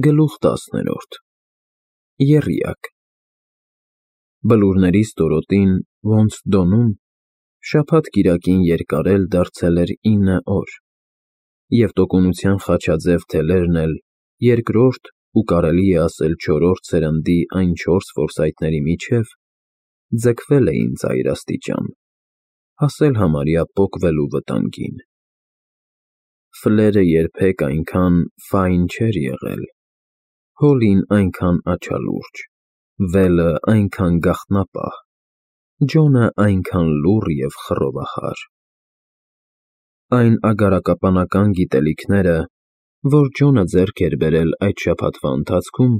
Գլուխ 10 Եռյակ Բլուրների ստորոտին, ոնց Դոնում, շաբաթ-կիրակին երկարել դարձել էր 9 օր, և տոկունության խաչաձև թելերն էլ երկրորդ ու կարելի է ասել չորրորդ սերնդի այն 4 որսայթների միջև ձգվել էին ծայրաստիճան, հասել համարյա պոկվելու վտանգին։ Ֆլերը երբեք այնքան ֆայն չէր եղել, Հոլին այնքան աչալուրջ, Վելը այնքան գաղտնապահ, Ջոնը այնքան լուռ և խռովախար։ Այն ագարակապանական գիտելիքները, որ Ջոնը ձեռք էր բերել այդ շաբաթվա ընթացքում,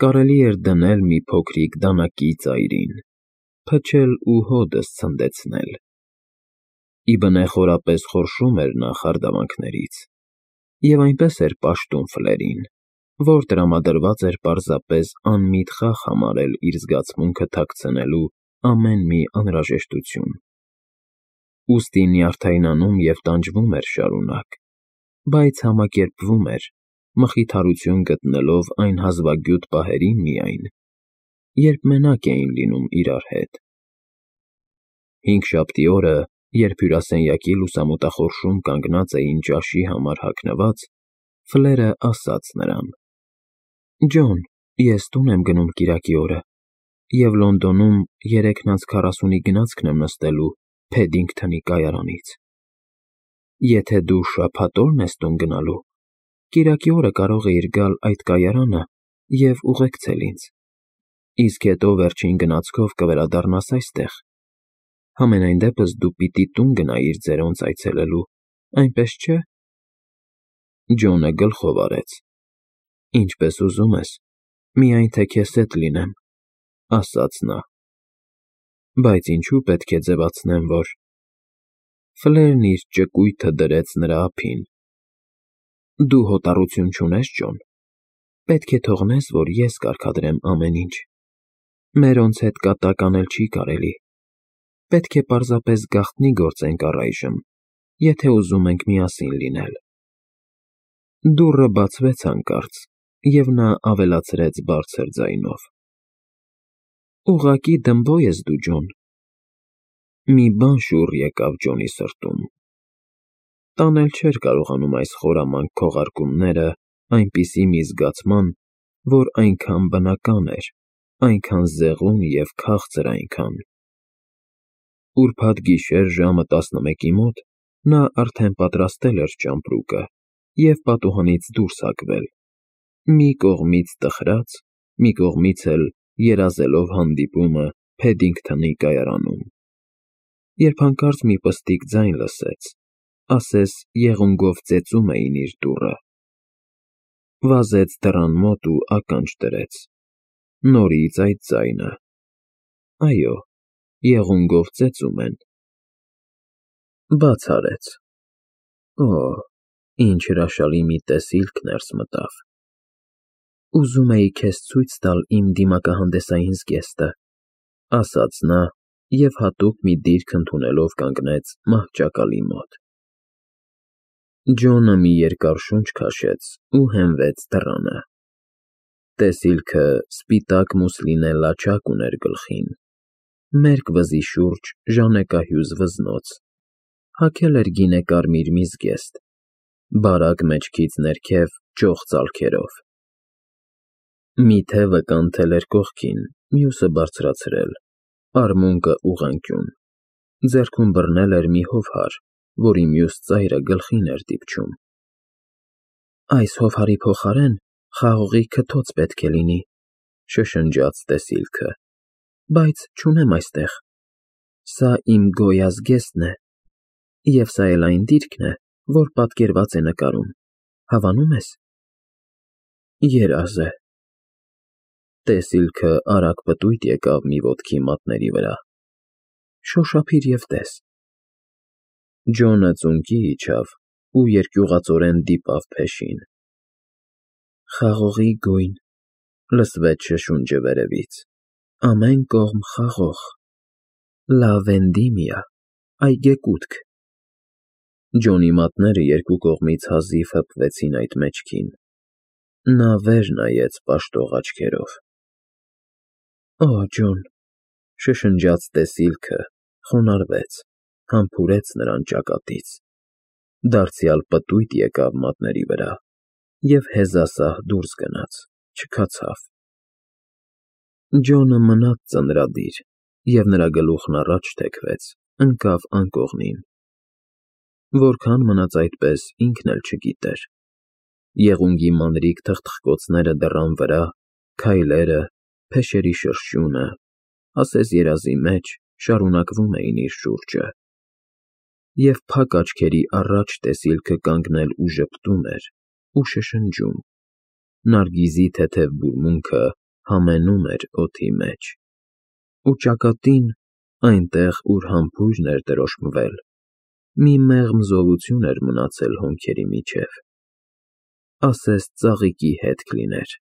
կարելի էր դնել մի փոքրիկ դանակի ծայրին, փչել ու հօդս ցնդեցնել։ Ի բնե խորապես խորշում էր նա խարդավանքներից, և այնպես էր պաշտում Ֆլերին, որ տրամադրված էր պարզապես անմիտ խաղ համարել իր զգացմունքը թաքցնելու ամեն մի անհրաժեշտություն։ Ուստի նյարդայնանում և տանջվում էր շարունակ, բայց համակերպվում էր, մխիթարություն գտնելով այն հազվագյուտ պահերին միայն, երբ մենակ էին լինում իրար հետ։ Հինգշաբթի օրը, երբ հյուրասենյակի լուսամուտախորշում կանգնած էին ճաշի համար հագնված, Ֆլերը ասաց նրան. «Ջոն, ես տուն եմ գնում կիրակի օրը, և Լոնդոնում 3:40-ի գնացքն եմ նստելու Փեդինգթոնի կայարանից։ Եթե դու շաբաթ օրն ես տուն գնալու, կիրակի օրը կարող էիր գալ այդ կայարանը և ուղեկցել ինձ, իսկ հետո վերջին գնացքով կվերադառնաս այստեղ։ Համենայն դեպս դու պիտի տուն գնայիր ձերոնց այցելելու, այնպես չէ՞»։ Ջոնը գլխով արեց. «Ինչպես ուզում ես, միայն թե քեզ հետ լինեմ», ֊ ասաց նա։ «Բայց ինչու պետք է ձևացնեմ, որ…» Ֆլերն իր ճկույթը դրեց նրա ափին։ «Դու հոտառություն չունես, Ջոն։ Պետք է թողնես, որ ես կարգադրեմ ամեն ինչ։ Մերոնց հետ կատակ անել չի կարելի։ Պետք է պարզապես գաղտնի գործենք առայժմ, եթե ուզում ենք միասին լինել»։ Դուռը բացվեց հանկարծ, և նա ավելացրեց բարձր ձայնով. «Ուղղակի դմբո ես դու, Ջոն»։ Մի բան շուռ եկավ Ջոնի սրտում։ Տանել չէր կարողանում այս խորամանկ քողարկումները այնպիսի մի զգացման, որ այնքան բնական էր, այնքան զեղում և քաղցր այնքան։ Ուրբաթ գիշեր ժամը 11-ի մոտ նա արդեն պատրաստել էր ճամպրուկը և պատուհանից դուրս հագվել, մի կողմից տխրած, մի կողմից էլ երազելով հանդիպումը Փեդինգթոնի կայարանում, երբ հանկարծ մի պստիկ ձայն լսեց, ասես եղունգով ծեծում էին իր դուռը։ Վազեց դռան մոտ ու ականջ դրեց. նորից այդ ձայնը. այո, եղունգով ծեծում են։ Բաց արեց։ Օ, ինչ հրաշալի մի տեսիլք ներս մտավ։ «Ուզում էի քեզ ցույց տալ իմ դիմակահանդեսային զգեստը», ֊ ասաց նա և հատուկ մի դիրք ընդունելով կանգնեց մահճակալի մոտ։ Ջոնը մի երկար շունչ քաշեց ու հենվեց դռանը։ Տեսիլքը սպիտակ մուսլինե լաչակ ուներ գլխին, մերկ վզի շուրջ ժանեկահյուզ վզնոց, հագել էր գինեկարմիր մի զգեստ, բարակ մեջքից ներքև ճոխ ծալքերով։ Մի թևը կանթել էր կողքին, մյուսը բարձրացրել, արմունկը ուղղանկյուն, ձեռքում բռնել էր մի հովհար, որի մյուս ծայրը գլխին էր դիպչում։ «Այս հովհարի փոխարեն խաղողի քթոց պետք է լինի», ֊ շշնջաց տեսիլքը, «բայց չունեմ այստեղ։ Սա իմ գոյա զգեստն է, և սա էլ այն դիրքն է, որ պատկերված է նկարում, հավանո՞ւմ ես»։ Երազ է։ Տեսիլքը արագ պտույտ եկավ մի ոտքի մատների վրա։ Շոշափիր և տես։ Ջոնը ծունկի իջավ ու երկյուղածորեն դիպավ փեշին։ «Խաղողի գույն», ֊ լսվեց շշունջը վերևից, «ամեն կողմ խաղող, Լա Վենդիմիա, այգեկութք»։ Ջոնի մատները երկու կողմից հազիվ հպվեցին այդ մեջքին։ Նա վեր նայեց պաշտող աչքերով։ Օ, Ջոն, շշնջաց տեսիլքը, խոնարհվեց, համբուրեց նրան ճակատից, դարձյալ պտույտ եկավ մատների վրա և հեզասահ դուրս գնաց, չքացավ։ Ջոնը մնաց ծնրադիր, և նրա գլուխն առաջ թեքվեց, ընկավ անկողնին։ Որքան մնաց այդպես, ինքն էլ չգիտեր։ Եղունգի մանրիկ թխթխկոցները դռան վրա, քայլերը, փեշերի շրշյունը, ասես երազի մեջ, շարունակվում էին իր շուրջը։ Եվ փակ աչքերի առաջ տեսիլքը կանգնել ու ժպտում էր ու շշնջում, նարգիզի թեթև բուրմունքը համենում էր օդի մեջ։ Ու ճակատին, այնտեղ, ուր համբույրն էր տրոշմվել, մի մեղմ զովություն էր մնացել հոնքերի միջև, ասես ծաղիկի հետք լիներ։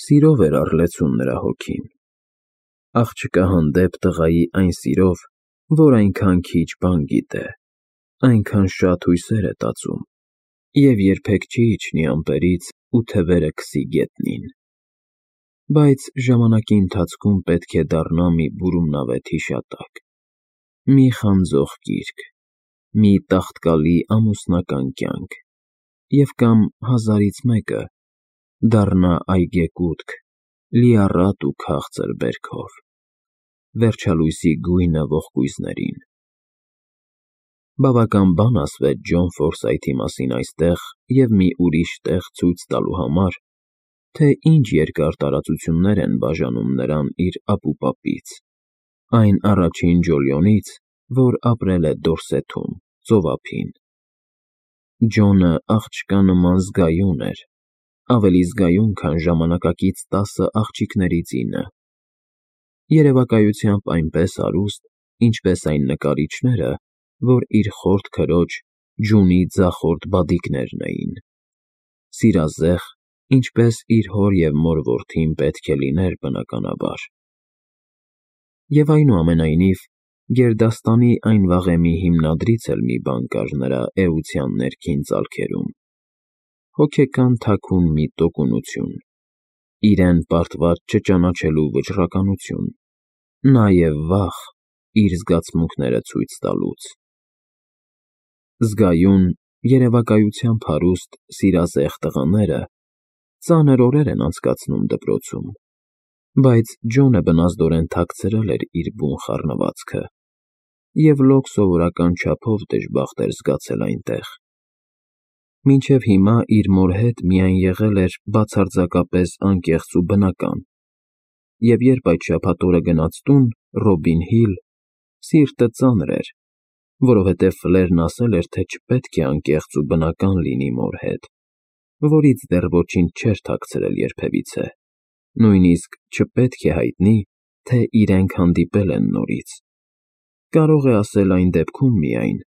Սիրով էր առլեցուն նրա հոգին, աղջկա հանդեպ տղայի այն սիրով, որ այնքան քիչ բան գիտե, այնքան շատ հույսեր է տածում և երբեք չի իջնի ամպերից ու թևերը քսի գետնին։ Բայց ժամանակի ընթացքում պետք է դառնա մի բուրումնավետ հիշատակ, մի խանձող գիրք, մի տաղտկալի ամուսնական կյանք, և կամ հազարից մեկը դառնա այգեկութք, լիառատ ու քաղցր բերքով, վերջալույսի գույնը ողկույզներին։ Բավական բան ասվեց Ջոն Ֆորսայթի մասին այստեղ և մի ուրիշ տեղ ցույց տալու համար, թե ինչ երկար տարածություններ են բաժանում նրան իր ապուպապից, այն առաջին Ջոլիոնից, որ ապրել է Դորսեթում, ծովափին։ Ջոնը աղջկա նման զգայուն էր, ավելի զգայուն, քան ժամանակակից 10 աղջիկներից 9, երևակայությամբ այնպես հարուստ, ինչպես այն նկարիչները, որ իր խորթ քրոջ Ջունի ձախորդ բադիկներն էին, սիրազեղ, ինչպես իր հոր և մոր որդին պետք է լիներ բնականաբար։ Եվ այնուամենայնիվ, գերդաստանի այն վաղեմի հիմնադրից էլ մի բան կար նրա էության ներքին ծալքերում, հոգեկան թաքուն մի տոկունություն, իրեն պարտված չճանաչելու վճռականություն, նաև վախ իր զգացմունքները ցույց տալուց։ Զգայուն, երևակայությամբ հարուստ, սիրազեղ տղաները ծանր օրեր են անցկացնում դպրոցում, բայց Ջոնը բնազդորեն թաքցրել էր իր բուն խառնվածքը և լոկ սովորական չափով դժբախտ էր զգացել այնտեղ։ Մինչև հիմա իր մոր հետ միայն եղել էր բացարձակապես անկեղծ ու բնական, և երբ այդ շաբաթ օրը գնաց տուն, Ռոբին Հիլ, սիրտը ծանր էր, որովհետև Ֆլերն ասել էր, թե չպետք է անկեղծ ու բնական լինի մոր հետ, որից դեռ ոչինչ չէր թաքցրել երբևիցե, նույնիսկ չպետք է հայտնի, թե իրենք հանդիպել են նորից։ Կարող է ասել այն դեպքում միայն,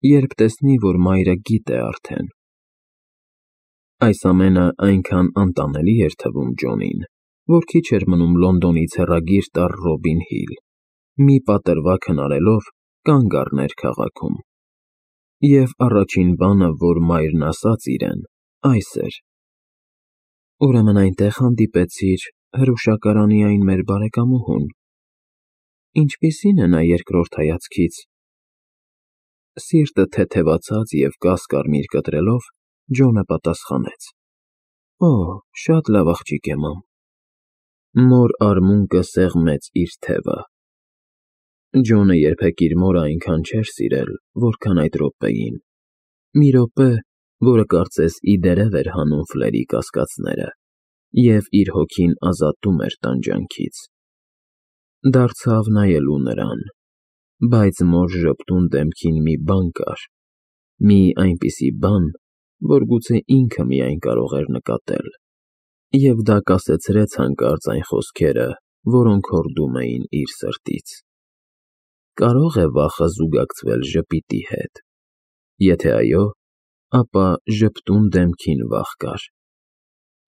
երբ տեսնի, որ մայրը գիտե արդեն։ Այս ամենը այնքան անտանելի էր թվում Ջոնին, որ քիչ էր մնում Լոնդոնից հեռագիր տար Ռոբին Հիլ, մի պատրվակ հնարելով կանգ առներ քաղաքում։ Եվ առաջին բանը, որ մայրն ասաց իրեն, այս էր. Ուրեմն այնտեղ հանդիպեցիր հրուշակարանի այն մեր բարեկամուհուն։ Ինչպիսի՞ն է նա երկրորդ հայացքից։ Սիրտը թեթևացած և կաս-կարմիր կտրելով, Ջոնը պատասխանեց. Օ, շատ լավ աղջիկ է, մամ։ Մոր արմունկը սեղմեց իր թևը։ Ջոնը երբեք իր մորը այնքան չէր սիրել, որքան այդ րոպեին, մի րոպե, որը կարծես ի դերև էր հանում Ֆլերի կասկածները և իր հոգին ազատում էր տանջանքից։ Դարձավ նայելու նրան, բայց մոր ժպտուն դեմքին մի բան կար, մի այնպիսի բան, որ գուցե ինքը միայն կարող էր նկատել, և դա կասեցրեց հանկարծ այն խոսքերը, որոնք հորդում էին իր սրտից։ Կարո՞ղ է վախը զուգակցվել ժպիտի հետ։ Եթե այո, ապա ժպտուն դեմքին վախ կար։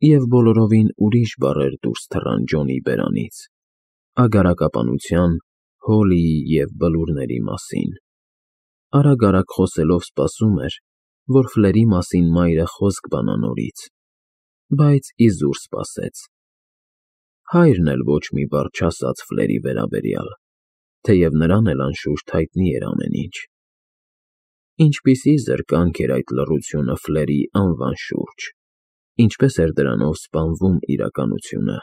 Եվ բոլորովին ուրիշ բառեր դուրս թռան Ջոնի բերանից, ագարակապանության, Հոլիի և բլուրների մասին։ Արագ-արագ խոսելով սպասում էր, որ Ֆլերի մասին մայրը խոսք բանա նորից, բայց իզուր սպասեց։ Հայրն էլ ոչ մի բառ չասաց Ֆլերի վերաբերյալ, թեև նրան էլ անշուշտ հայտնի էր ամեն ինչ։ Ինչպիսի զրկանք էր այդ լռությունը Ֆլերի անվան շուրջ, ինչպես էր դրանով սպանվում իրականությունը։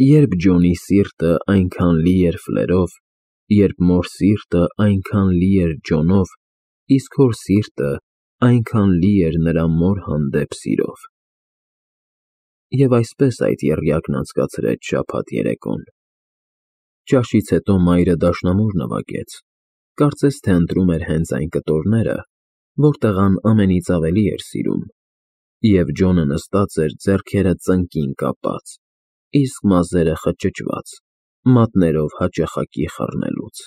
Երբ Ջոնի սիրտը այնքան լի էր Ֆլերով, երբ մոր սիրտը այնքան լի էր Ջոնով, իսկ հոր սիրտը այնքան լի էր նրա մոր հանդեպ սիրով։ Եվ այսպես այդ եռյակն անցկացրեց շաբաթ երեկոն։ Ճաշից հետո մայրը դաշնամուր նվագեց, կարծես թե ընտրում էր հենց այն կտորները, որ տղան ամենից ավելի էր սիրում, և Ջոնը նստած էր ձեռքերը ծնկին կապած, իսկ մազերը խճճված, մատներով հաճախակի խռնելուց։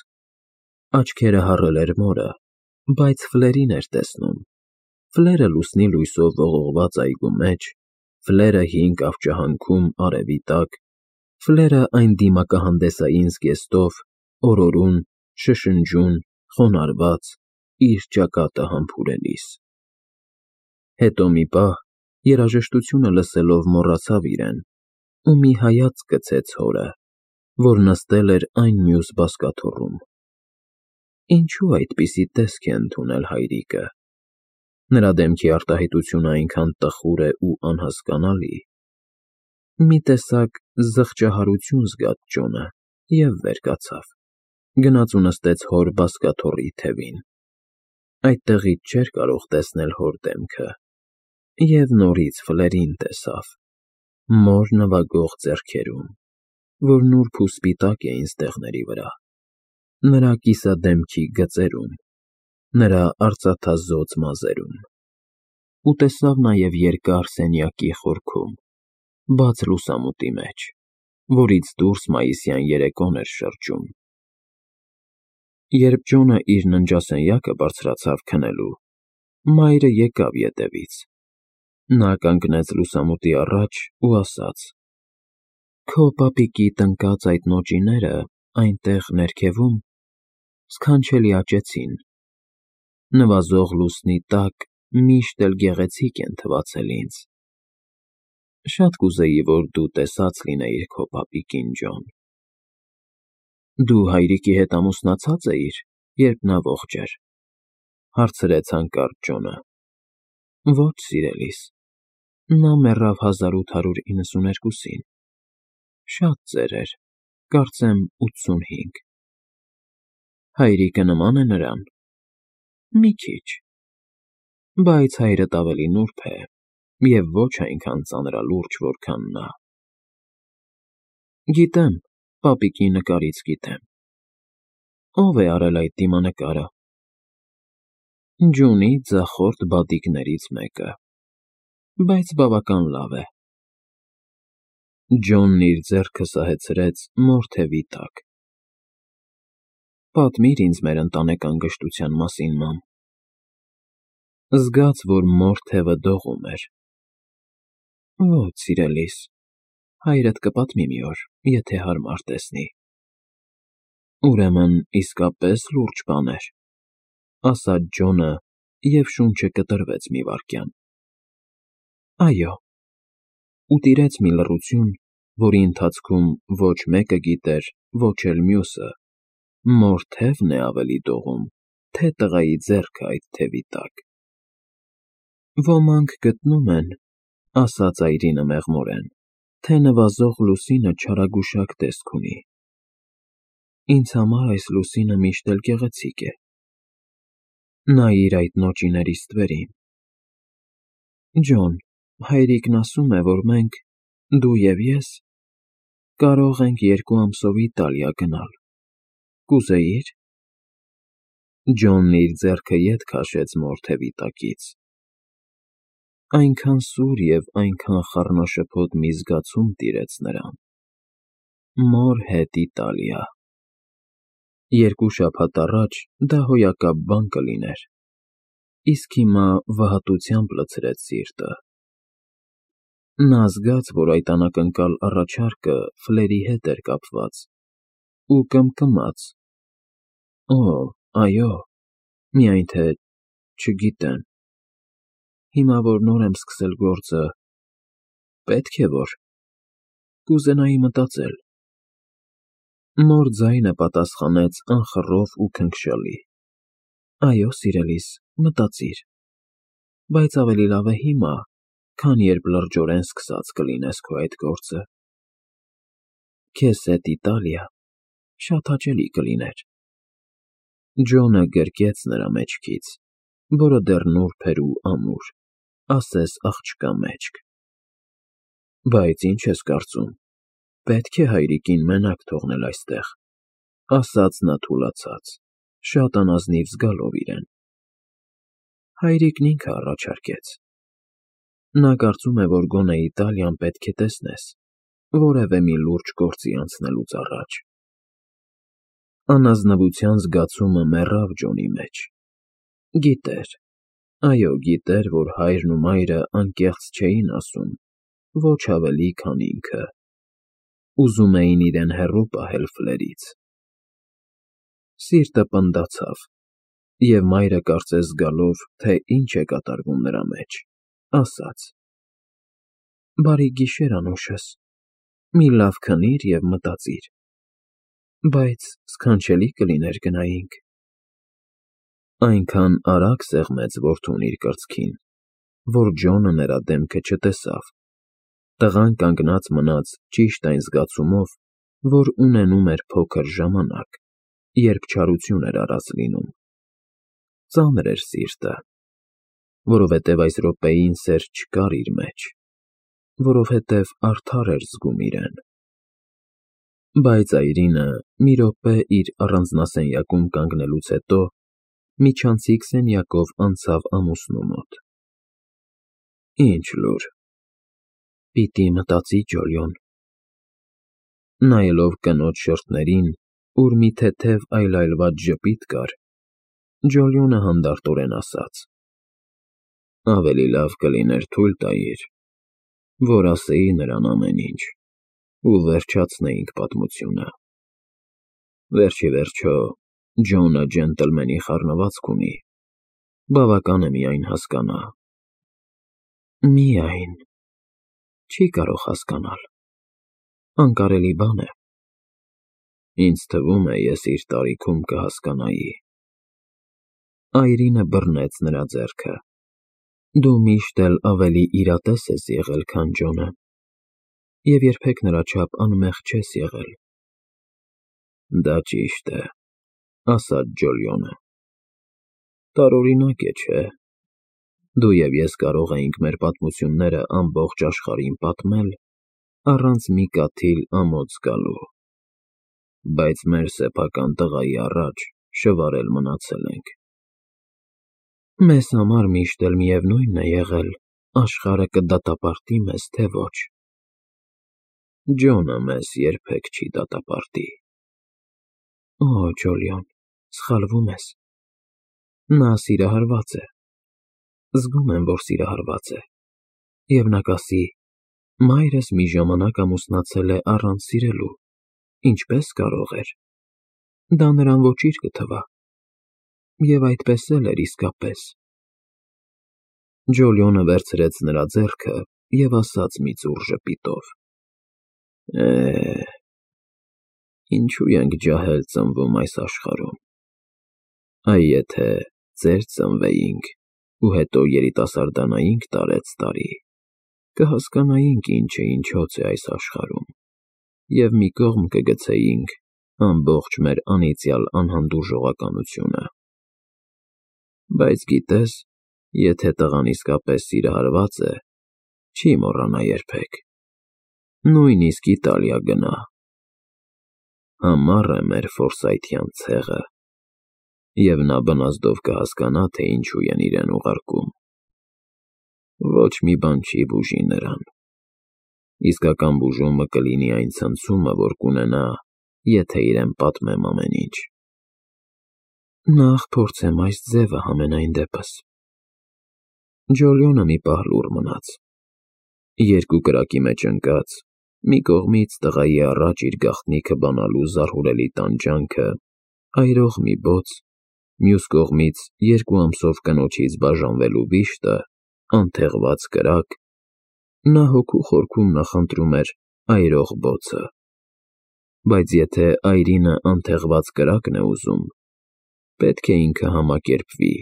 Աչքերը հառել էր մորը, բայց Ֆլերին էր տեսնում։ Ֆլերը լուսնի լույսով ողողված այգու մեջ, Ֆլերը հին կավճահանքում արևի տակ, Ֆլերը այն դիմակահանդեսային զգեստով, օրորուն, շշնջուն, խոնարհված, իր ճակատը համբուրելիս։ Հետո մի պահ, երաժշտությունը լսելով մոռացավ իրեն ու մի հայացք գցեց հորը, որ նստել էր այն մյուս բազկաթոռում։ Ինչու այդպիսի տեսք է ընդունել հայրիկը։ Նրա դեմքի արտահայտությունը այնքան տխուր է ու անհասկանալի։ Մի տեսակ զղջահարություն զգաց Ջոնը և վեր կացավ, գնաց ու նստեց հոր բազկաթոռի թևին։ Այդտեղից չէր կարող տեսնել հոր դեմքը, և նորից Ֆլերին տեսավ, մոր նվագող ձեռքերում, որ նուրբ ու սպիտակ էին ստեղների վրա, նրա կիսադեմքի գծերում, նրա արծաթազօծ մազերում, ու տեսավ նաև երկար սենյակի խորքում, բաց լուսամուտի մեջ, որից դուրս մայիսյան երեկոն էր շրջում։ Երբ Ջոնը իր ննջասենյակը բարձրացավ քնելու, մայրը եկավ ետևից։ Նա կանգնեց լուսամուտի առաջ ու ասաց. «Քո պապիկի տնկած այդ նոճիները այնտեղ ներքևում սքանչելի աճեցին, նվազող լուսնի տակ միշտ էլ գեղեցիկ են թվացել ինձ։ Շատ կուզեի, որ դու տեսած լինեիր քո պապիկին, Ջոն»։ Դու հայրիկի հետ ամուսնացա՞ծ էիր, երբ նա ողջ էր, հարցրեց հանկարծ Ջոնը։ Ոչ, սիրելիս, նա մեռավ 1892-ին, շատ ծեր էր, կարծեմ 85։ Հայրիկը նման է նրան։ Մի քիչ, բայց հայրդ ավելի նուրբ է և ոչ այնքան ծանրալուրջ, որքան նա։ Գիտեմ, պապիկի նկարից գիտեմ։ Ո՞վ է արել այդ դիմանկարը։ Ջունի ձախորդ բադիկներից մեկը, բայց բավական լավ է։ Ջոնն իր ձեռքը սահեցրեց մոր թևի տակ։ Պատմիր ինձ մեր ընտանեկան գժտության մասին, մամ։ Զգաց, որ մոր թևը դողում էր։ Ոչ, սիրելիս, հայրդ կպատմի մի օր, եթե հարմար տեսնի։ Ուրեմն իսկապես լուրջ բան էր, ասաց Ջոնը և շունչը կտրվեց մի վայրկյան։ Այո։ Ու տիրեց մի լռություն, որի ընթացքում ոչ մեկը գիտեր, ոչ էլ մյուսը, մոր թևն է ավելի դողում, թե տղայի ձեռքը այդ թևի տակ։ Ոմանք գտնում են, ասաց այրինը մեղմորեն, թե նվազող լուսինը չարագուշակ տեսք ունի։ Ինձ համար այս լուսինը միշտ էլ գեղեցիկ է։ Նայիր այդ նոճիների ստվերին։ Ջոն, հայրիկն ասում է, որ մենք, դու և ես, կարող ենք 2 ամսով Իտալիա գնալ։ Կուզեի՞ր։ Ջոնն իր ձեռքը ետ քաշեց մոր թևի տակից։ Այնքան սուր և այնքան խառնաշփոթ մի զգացում տիրեց նրան։ Մոր հետ Իտալիա։ 2 շաբաթ առաջ դա հոյակապ բան կլիներ, իսկ հիմա վհատությամբ լցրեց սիրտը։ Նա զգաց, որ այդ անակնկալ առաջարկը Ֆլերի հետ էր կապված, ու կմկմաց. Օ, այո, միայն թե, չգիտեմ, հիմա որ նոր եմ սկսել գործը, Պետք է որ, կուզենայի մտածել։ Նոր ձայնը պատասխանեց անխռով ու քնքշալի. Այո, սիրելիս, մտածիր, բայց ավելի լավ է հիմա, քան երբ լրջորեն սկսած կլինես քո այդ գործը։ Քեզ հետ Իտալիա շատ հաճելի կլիներ։ Ջոնը գրկեց նրա մեջքից, որը դեռ նուրբ էր ու ամուր, ասես աղջկա մեջք։ Բայց ինչ ես կարծում, պետք է հայրիկին մենակ թողնել այստեղ, ասաց նա թուլացած, շատ անազնիվ զգալով իրեն։ Հայրիկն ինքը առաջարկեց։ Նա կարծում է, որ գոնե Իտալիան պետք է տեսնես, որևէ մի լուրջ գործի անցնելուց առաջ։ Անազնվության զգացումը մեռավ Ջոնի մեջ։ Գիտեր, այո, գիտեր, որ հայրն ու մայրը անկեղծ չէին ասում, ոչ ավելի, քան ինքը։ Ուզում էին իրեն հեռու պահել Ֆլերից։ Սիրտը պնդացավ, և մայրը կարծես զգալով, թե ինչ է կատարվում նրա մեջ, ասաց. Բարի գիշեր, անուշս, մի լավ քնիր և մտածիր, բայց սքանչելի կլիներ գնայինք։ Այնքան արագ սեղմեց որդուն իր կրծքին, որ Ջոնը նրա դեմքը չտեսավ։ Տղան կանգնած մնաց ճիշտ այն զգացումով, որ ունենում էր փոքր ժամանակ, երբ չարություն էր արած լինում։ Ծանր էր սիրտը, որովհետև այս րոպեին սեր չկար իր մեջ, որովհետև արդար էր զգում իրեն։ Բայց այրինը մի րոպե իր առանձնասենյակում կանգնելուց հետո միջանցիկ սենյակով անցավ ամուսնու մոտ։ Ինչ լուր։ Պիտի մտածի Ջոլիոն։ Նայելով կնոջ շրթներին, ուր մի թեթև այլայլված ժպիտ կար, Ջոլիոնը հանդարտորեն ասաց. Ավելի լավ կլիներ թույլ տայիր, որ ասեի նրան ամեն ինչ, ու վերջացնեինք պատմությունը։ Վերջ ի վերջո, Ջոնը ջենտլմենի խառնվածք ունի, բավական է միայն հասկանա։ Միայն, չի կարող հասկանալ, անկարելի բան է։ Ինձ թվում է, ես իր տարիքում կհասկանայի։ Այրինը բռնեց նրա ձեռքը։ Դու միշտ էլ ավելի իրատես ես եղել, քան Ջոնը, և երբեք նրա չափ անմեղ չես եղել։ Դա ճիշտ է, ասաց Ջոլիոնը։ Տարօրինակ է, չէ՞։ Դու և ես կարող էինք մեր պատմությունները ամբողջ աշխարհին պատմել, առանց մի կաթիլ ամոթ զգալու։ Բայց մեր սեփական տղայի առաջ շվարել մնացել ենք։ Մեզ համար միշտ էլ միևնույն է եղել, աշխարհը կդատապարտի մեզ, թե ոչ։ Ջոնը մեզ երբեք չի դատապարտի։ Օ, Ջոլիոն, սխալվում ես։ Նա սիրահարված է։ Զգում եմ, որ սիրահարված է։ Եվ նա կասի. մայրս մի ժամանակ ամուսնացել է առանց սիրելու, ինչպես կարող էր։ Դա նրան ոչինչ կթվա։ Եվ այդպես էլ էր իսկապես։ Ջոլիոնը վերցրեց նրա ձեռքը և ասաց մի ծուռ ժպիտով. Ինչու ենք ջահել ծնվում այս աշխարհում։ Այ եթե ծեր ծնվեինք ու հետո երիտասարդանայինք տարեցտարի, կհասկանայինք ինչը ինչոց է այս աշխարհում, և մի կողմ կգցեինք ամբողջ մեր անիծյալ անհանդուրժողականությունը։ Բայց գիտես, եթե տղան իսկապես սիրահարված է, չի մոռանա երբեք, նույնիսկ Իտալիա գնա։ Համառ է մեր ֆորսայթյան ցեղը, և նա բնազդով կհասկանա, թե ինչու են իրեն ուղարկում։ Ոչ մի բան չի բուժի նրան։ Իսկական բուժումը կլինի այն ցնցումը, որ կունենա, եթե իրեն պատմեմ ամեն ինչ։ Նախ փորձեմ այս ձևը համենայն դեպս։ Ջոլիոնը մի պահ լուռ մնաց։ Երկու կրակի մեջ ընկած, մի կողմից տղայի առաջ իր գաղտնիքը բանալու զարհուրելի տանջանքը, այրող մի բոց, մյուս կողմից երկու ամսով կնոջից բաժանվելու վիշտը, անթեղված կրակ, Նա հոգու խորքում նախընտրում էր այրող բոցը, բայց եթե այրինը անթեղված կրակն է ուզում, պետք է ինքը համակերպվի,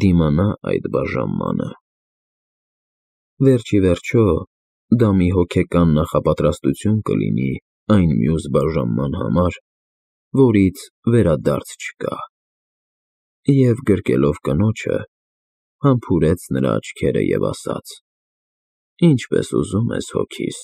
դիմանա այդ բաժանմանը։ Վերջ ի վերջո, դա մի հոգեկան նախապատրաստություն կլինի այն մյուս բաժանման համար, որից վերադարձ չկա։ Եվ գրկելով կնոջը, համբուրեց նրա աչքերը և ասաց. «Ինչպես ուզում ես, հոգիս»։